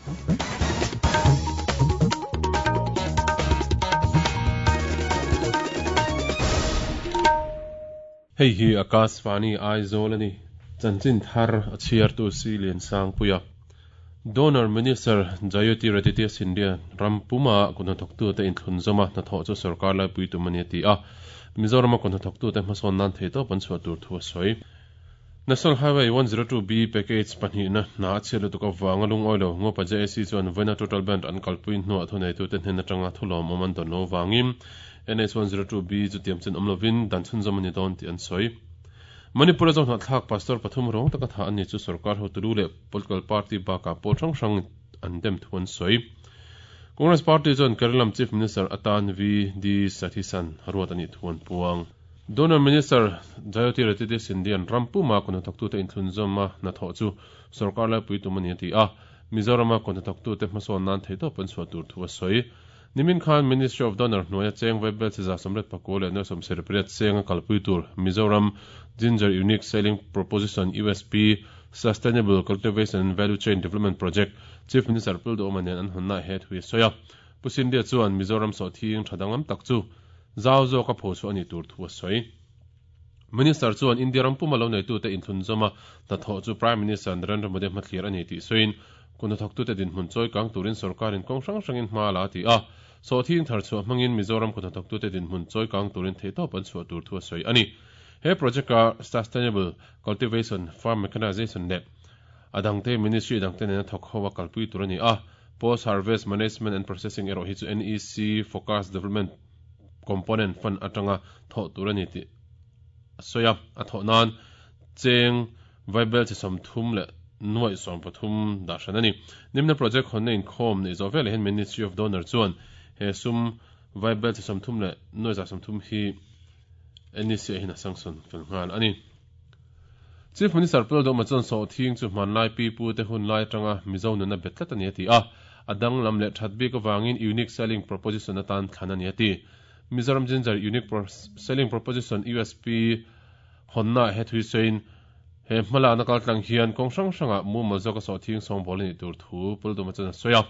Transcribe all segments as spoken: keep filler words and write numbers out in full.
Hei hi Akashvani Aizawl ani chanchin thar a chhiar tu si lian sang puia Donor Minister Jyotiraditya Scindia rampuma kunhnathawktu te inthlun zawma hnathawh chu sarkar lai pui tum ani ti a Mizoram kunhnathawktu te hmasawn nan thei tawp an chhuah tur thu a sawi National Highway one zero two B package pahnih na hna a chhiat lutuk avanga lungawi lo Ngopa J A C chuan vawiina total band an kalpui hnuah thuneitu te hnen atanga thulawm awm an dawn lo vangin N H one zero two B chu tiam chen awm lovin dan chhun zawm ani dawn tih an sawi Manipur zawng hnahthlak pastor pathum rawng taka tha ani chu sarkar hotulu leh political party baka pawl hrang hrang an dem thu an sawi Congress party chuan Kerala Chief Minister atan V D Sathisan ruat ani thu an puang Donor Minister Jyotiraditya Scindia rampuma kunhnathawktu te inthlun zawma hnathawh chu sarkar lai pui tum ani ti a Mizoram kunhnathawktu te hmasawn nan thei tawp an chhuah tur thu a sawi Nimin Khan Ministry of Donor hnuaia cheng vaibel chi za sawmriat pakua leh nuai sawmsarih pariat cheng a kalpui tur Mizoram Ginger Unique Selling Proposition U S P Sustainable Cultivation and Value Chain Development Project Chief Minister Puldo nen an hawnna he thu a sawi a Pu Scindia chuan Mizoram sawhthing thadanglam tak chu zau zawk a pho chu ani tur thu a sawi Minister chuan India rampuma lo neitu te inthlun zawma hnathawh chu Prime Minister Narendra Modi hmathlir ani tih sawiin kunhnathawktu te dinhmun chawi kang turin sarkarin kawng hrang hrangin hma la ti a sawhthing thar chhuah hmangin Mizoram kunhnathawktu te dinhmun chawi kang turin thei tawp an chhuah tur thu a sawi ani he project a sustainable cultivation farm mechanization leh adangte ministry dangte nena thawk ho a kalpui tur ani a post harvest management and processing erawh hi chu N E C focus development component fund atanga thawh tur ani ti soya a thawh nan cheng vaibel chi som thum leh nuai som pathum da hran ani nimna project hon in khom nei zo vel hen Ministry of Donor chuan he sum vaibel chi som thum leh nuai za som thum hi N E C hin a sanction fel ngal ani Chief Minister Puldo Machon so thing chu man lai pi pu te hun lai tanga Mizo nuna betlat ani ti a adang lam leh that bik awangin unique selling proposition atan thlan ani ati Mizoram Ginger Unique Selling Proposition U S P honna he thui sein he hmala na kal tlang hian kawng hrang hranga mu mal zawk a sawhthing sawng ball ani tur thu Puldo Machon soya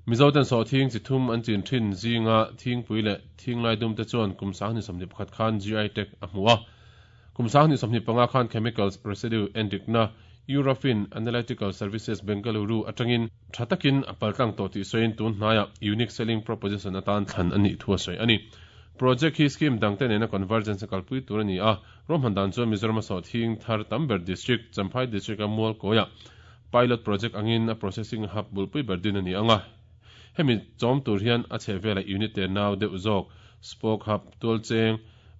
Mizo ten sawhthing chi thum an chin thin zinga thingpui leh thinglai dum te chuan kum sang ni sawmhnih pakhat khan G I tag a hmu a kum sang ni sawmhnih panga khan chemicals residue endikna Eurofin Analytical Services Bengaluru atangin thatakin a paltlang to ti soin tun hnaya unique selling proposition atan thlan ani thu a sawi ani project hi scheme dangte nena convergence kalpui tur ani a romhan dan chu Mizoram sawhthing thar tamber district Champhai district a mual koya pilot project angin a processing hub bulpui berdin ani anga hemi chawm tur hian a chhevela unit te nau deuh zawk spoke hub tualcheng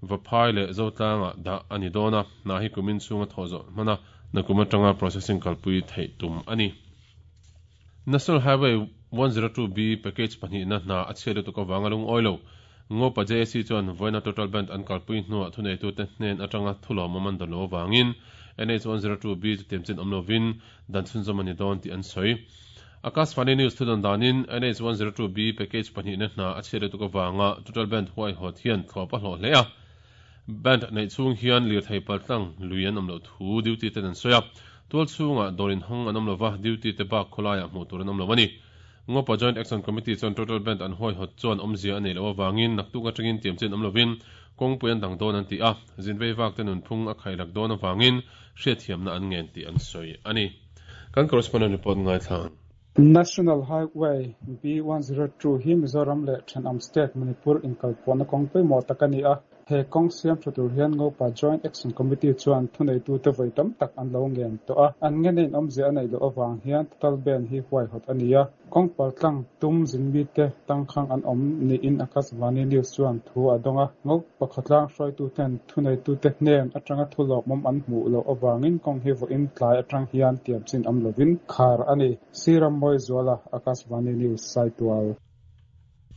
vaphai leh zotlanga da ani dona na hi kumin chunga thaw zawh hmana nakuma tanga processing kalpui thei tum ani National Highway one zero two B package pahnih na hna a chhiat lutuk awanga lung oilo Ngopa J A C chuan vawiina total band an kalpui hnuah thuneitu te hnen atanga thulawm awm an dawn lo awangin N H one zero two B chu tiam chin awm lovin dan chhun zawm ani dawn tih an sawi Akashvani News thudawn danin N H one zero two B package pahnih na hna a chhiat lutuk awanga total band huai hawt hian thlawp a hlawh hle a band nei chung hian lir thei paltlang lui an awm lo thu duty ten an sawi a tual chhunga dawrin hawng an awm lova duty te bak khawlaiah hmuh tur an awm lo ani Ngopa Joint Action Committee chuan total band an huai hawt chuan awmzia a nei lo awangin naktuk atangin tiam chen awm lovin kawngpui an dang dawn an ti a zinvei vak te nunphung a khailak dawn awangin hriatthiamna an ngen tih an sawi ani kan correspondent report ngai thlang National Highway B one zero two hi Mizoram leh Thenawm State Manipur inkalpawhna kawngpui maw tak ani a he kawng siam tha tur hian Ngopa Joint Action Committee chuan thuneitu te vawi tam tak an lo ngen tawh a an nge nein awmzia a nei loh awang hian total ban hi huai hawt ani a kawng paltlang tum zinmi te tangkhang an awm niin Akashvani News chuan thu a dawng a Ngopa khawtlang hruaitu ten thuneitu te hnen atanga thulawk mawm an hmuh loh awangin kawng hi vawiin tlai atang hian tiam chin awm lovin khar ani Siram Moi Zuala Akashvani News Saitual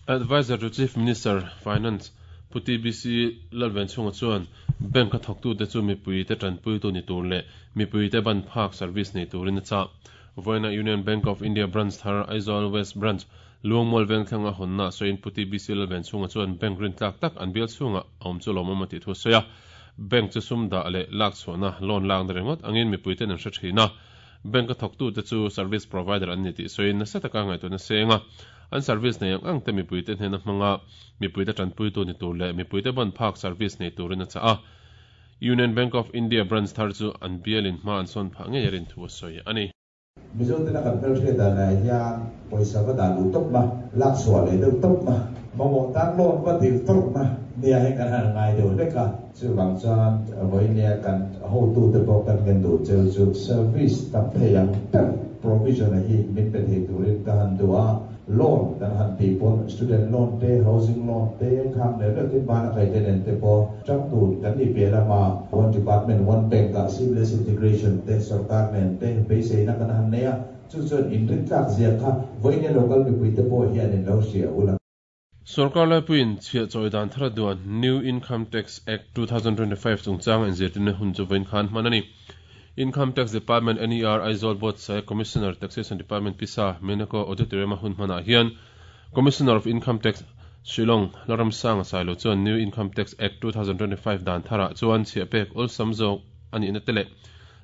Advisor to Chief Minister Finance Puti B C Lalven chunga chuan bank a thawktu te chu mipui te tanpui tu ni tur leh mipui te ban phak service nei turin a cha Vawiina Union Bank of India branch thar Aizawl West branch Luangmual veng thlanga hawnna sawiin Puti B C Lalven chunga chuan bank rin tlak tak an bial chhunga awm chu lawmawm a tih thu sawi a bank chu sum dah leh lak chhuahna loan lak na ringawt angin mipui ten an hre thin a Bank a thawktu te chu service provider an ni tih sawiin nasa taka ngaihtuahna senga an service nei ang ang te mipui te hnena hmanga mipui te tanpui tu ni tur leh mipui te ban phak service nei turin a chah a. Union Bank of India branch thar chu an bialin hma an sawn phah ngei a rin thu a sawi a ni. Mizo tena kan hmelhriat danah hian pawisa va dah luh tawp na, lak chhuah leh deuh tawp na, mamawh tan loan va dil tawp na nia hi kan han ngai deuh hlek a. Chuvang chuan vawinia kan hotute pawh kan ngen duh cheu chu service tam thei ang ber provision a hi min pe thei turin ka han duh a. Loan kan han tih pawn student loan te, housing loan te, khang neuh neuh tin bana kai te nen te pawh tang dun kan nih piah lama one department one bank ah seamless integration te sarkar nen te beiseina kan han nei a, chu chuan inrin tlak zia kha vawinia local mipui te pawh hian in lo hria ula. Sarkar laipuiin chhiah chawi dan thar a duan New Income Tax Act two thousand twenty-five chungchanga inzirtirna hun chu vawiin khan hman a ni. Income Tax Department N E R Aizawl Buatsaih Commissioner Taxation Department Pisa Menako Auditorium a hun hmanah hian Commissioner of Income Tax Shillong Laramsanga Sailo chuan New Income Tax Act two thousand twenty-five dan tharah chuan chhiah pek awlsam zawk a nihna te leh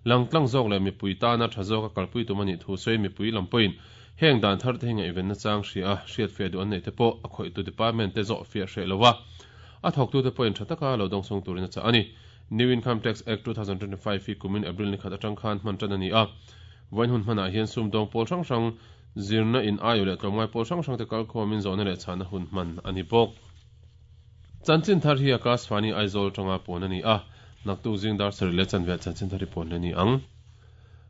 langtlang zawk leh mipui tana tha zawk a kalpui tum a nih thu sawi mipui lam pawhin heng dan thar te hi ngaihvenna chang hria a hriat fiah duh an nei te pawh a khawihtu department te zawh fiah hreh lo a a thawktu te pawhin tha taka lo dawngsawng turin a chah a ni. New Income Tax Act two thousand twenty-five hi kumin April ni khat atang khan hman tan a ni a. Vawiin hun hmanah hian sum dawng pawl hrang hrang zirna in aio leh tlawmngai pawl hrang hrang te kalkhawmin zawhna leh chhana hun hman a ni bawk. Chanchin thar hi Akashvani Aizawl tanga pawn a ni a. Naktuk zing dar sarih leh chanve chanchin thar hi pawn le ni ang.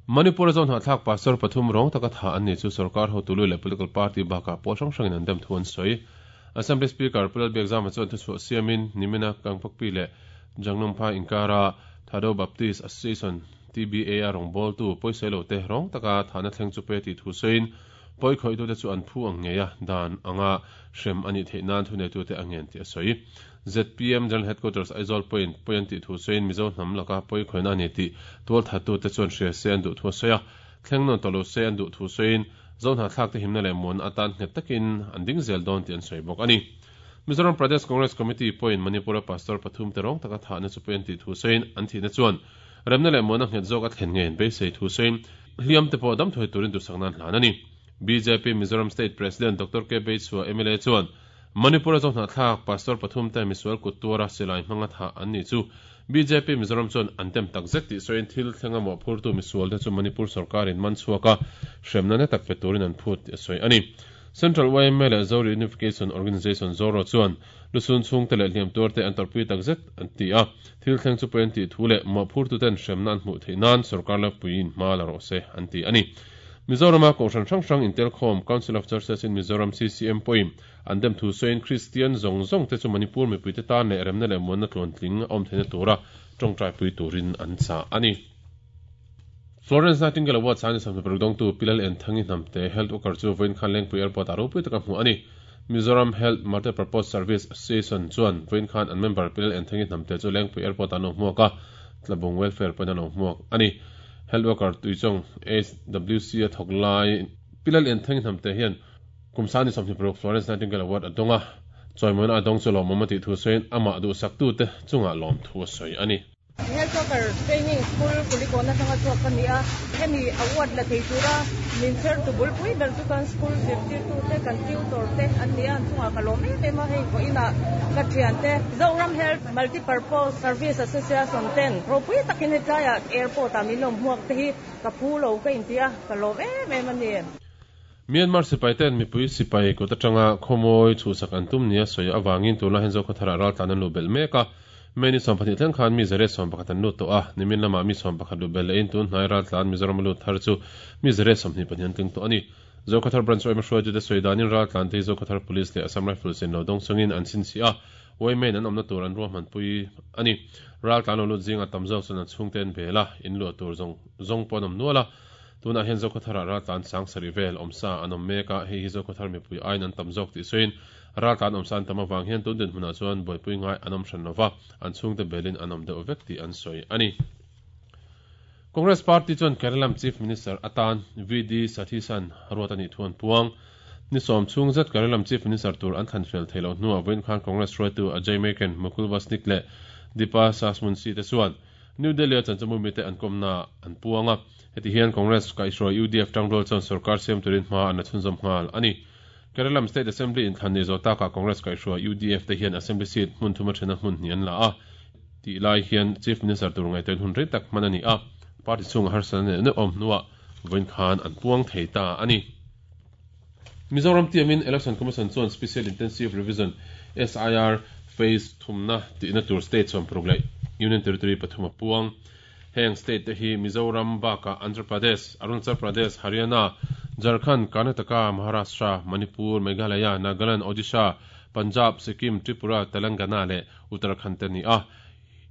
Manipur zone hnathlak pastor pathum rawng taka tha an ni chu sarkar hotulu leh political party bakah pawl hrang hrangin an dem thu an sawi. Assembly Speaker Pulal Biakzama chuan thuchhuah siamin nimina Kangpokpi leh Jangnumpa inkara Thado Baptist Association T B A a rawng bawltu pawisailo te rawng taka thana thleng chu pe tih thu sawiin pawi khawihtu te chu an phu ang ngei a dan anga hrem ani theih nan thuneitu te a ngen tih a sawi. Z P M General Headquarters Aizawl pawhin pawi an tih thu sawiin Mizo hnam laka pawi khawihna ani tih tual thattu te chuan hria se an duh thu a sawi a, thleng nawn tawh lo se an duh thu sawiin zo hnathlak te himna leh muan atan nghet takin an ding zel dawn tih an sawi bawk a ni. Mizoram Pradesh Congress Committee pawhin Manipura pastor pathum te rawng taka thahna chu pawi an tih thu sawiin an thihna chuan remna leh muana nghet zawk a thlen nge beisei thu sawiin hliam te pawh dam thuai turin duhsak nan hlan a ni. B J P Mizoram State President Doctor K Beichhua M L A chuan Manipura zo hnathlak pastor pathum te misual kut tuara silai hmanga tha an ni chu B J P Mizoram chuan an tem tak zet tih sawiin thil thlenga mawh phurtu misual te chu Manipur sarkarin man chhuaka hremna na tak pe turin an phut tih a sawi a ni. Central Y M A leh Zo Reunification Organization Zoro chuan lusun chung te leh hliam tuar te an tarpui tak zet an ti a, thil thleng chu pawi an tih thu leh mawh phurtu ten hremna an hmuh theih nan sarkar lapuiin hma la rawh se an ti a ni. Mizorama kohhran hrang hrang Intelkhawm Council of Churches in Mizoram C C M pawhin an dem thu sawiin Christian zawng zawng te chu Manipur mipui te tan leh remna leh muanna tluan tling a awm theihna tura tawngtai pui turin an chah a ni. Florence Nightingale Award sani samna paruk dawngtu Pilal Enthangi Hnamte Health Worker chu vawiin khan Lengpui Airport a ropui taka hmuh a ni. Mizoram Health Multipurpose Service Association chuan vawiin khan an member Pilal Enthangi Hnamte chu Lengpui Airport an lo hmuak a, Tlabung Welfare pawhin an lo hmuak a ni. Health Worker Tuichawng H W C a thawk lai Pilal Enthangi Hnamte hian kumsani sawmhnih paruk Florence Nightingale Award a dawnga chawimawina a dawng chu lawmawm a tih thu sawiin amah duhsak tu te chungah lawm thu a sawi a ni. Health Worker Training School Kulikona tanga chuak ka ni a, hemi award la thei tura min cher tu bul pui ber chu kan school zirtir tu te kan tutor te an ni a, an chungah ka lawm em em a, hei vawiin ah ka thian te Zoram Health Multipurpose Service Association ten ropui takin hetlaiah airport ah min lo hmuak te hi ka phu lo ka inti a, ka lawm em em a ni. Myanmar sipai ten mipui sipai kut atanga khawmawi chhuhsak an tum nia sawi awangin tunlai hian Zokhawthar ah raltlan an lu belh mek a. Meni sawm pahnih thleng khan mi zariat sawm pakhat an lut tawh a, nimin lamah mi sawm pakhat lu bel lehin tun hnai raltlan Mizoram lut thar chu mi zariat sawmhnih pahnih an tling tawh a ni. Zokhawthar branch oima hruaitu te sawi danin raltlan te Zokhawthar police leh Assam Rifles in lo dawng chungin an chhinchhi a, Waymain an awmna tur an ruahman pui a ni. Raltlan lo lut zinga tam zawk chuan an chhungte an bel a, in luah tur zawng zawng pawh an awm nual a. Tunah hian Zokhawthar ah raltlan sang sarih vel awmsa an awm mek a, hei hi Zokhawthar mipui aiin an tam zawk tih sawiin raltlan awmsa an tam awang hian tun dinhmunah chuan buaipui ngai an awm hran lova, an chhungte belin an awm deuh vek tih an sawi a ni. Congress Party chuan Kerala Chief Minister atan V D Satheesan ruat ani thu an puang. Ni sawm chung zet Kerala Chief Minister tur an thlan fel theilo hnuah vawiin khan Congress hruaitu Ajay Maken, Mukul Wasnik leh Deepa Sasmunsi te chuan New Delhi a chanchamu mi te an kawmna an puang a. Heti hian Congress kaihhruai U D F tangrual chuan sarkar siam turin hma an la chhunzawm nghal ani. Kerala State Assembly inthlan ni zawh takah Congress kaihhruai U D F te hian Assembly seat hmun thuma thena hmun hnih an la a. Tih lai hian Chief Minister tur ngaihtuahin hun rei tak hman ani a. Party chhunga harsatna leh neuh awm hnuah vawiin khan an puang thei ta ani. Mizoram tiamin Election Commission chuan Special Intensive Revision S I R Phase thumna tihna tur state sawm paruk leh Union Territory pathum a puang. Heng state te hi Mizoram bakah Andhra Pradesh, Arunachal Pradesh, Haryana, Jharkhand, Karnataka, Maharashtra, Manipur, Meghalaya, Nagaland, Odisha, Punjab, Sikkim, Tripura, Telangana leh Uttarakhand te ni a.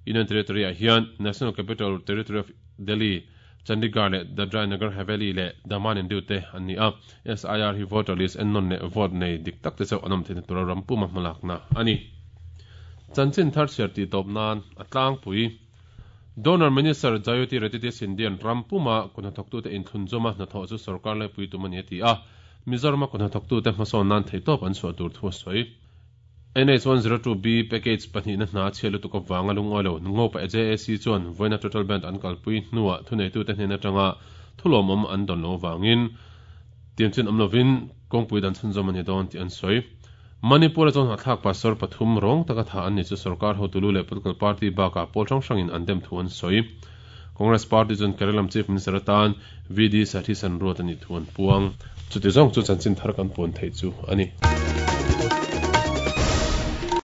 Union Territory ah hian National Capital Territory of Delhi, Chandigarh leh Dadra Nagar Haveli leh Daman and Diu te an ni a. S I R hi voter list ennawn leh vote nei dik tak te chauh an awm theihna tura ram puma hmalakna ani. Chanchin thar chhiar tih tawp nan a tlangpui. Donor Minister Jyotiraditya Scindia ram puma kuhnathawktute inthlunzawma hnathawh chu sarkar laipui tum ani a ti a. Mizoram kuhnathawktute hmasawn nan theitawp an chhuah tur thu a sawi. N H one zero two B package pahnihna hna chhiat lutuk avanga lungawi lo Ngopa J A C chuan vawiina total band an kalpui hnuah thuneitute hnen atanga thulawmawm an dawn lo avangin tiamchin awm lovin kawngpui dan chhunzawm ani dawn tih an sawi. Manipur chuan hnathlak pastor pathum rawng taka tha an ni chu sarkar hotulu leh political party bakah pawl hrang hrangin an dem thu an sawi. Congress party chuan Kerala Chief Minister atan V D Satheesan ruat ani thu an puang. Chuti zawng chu chanchin thar kan puan thei chu ani.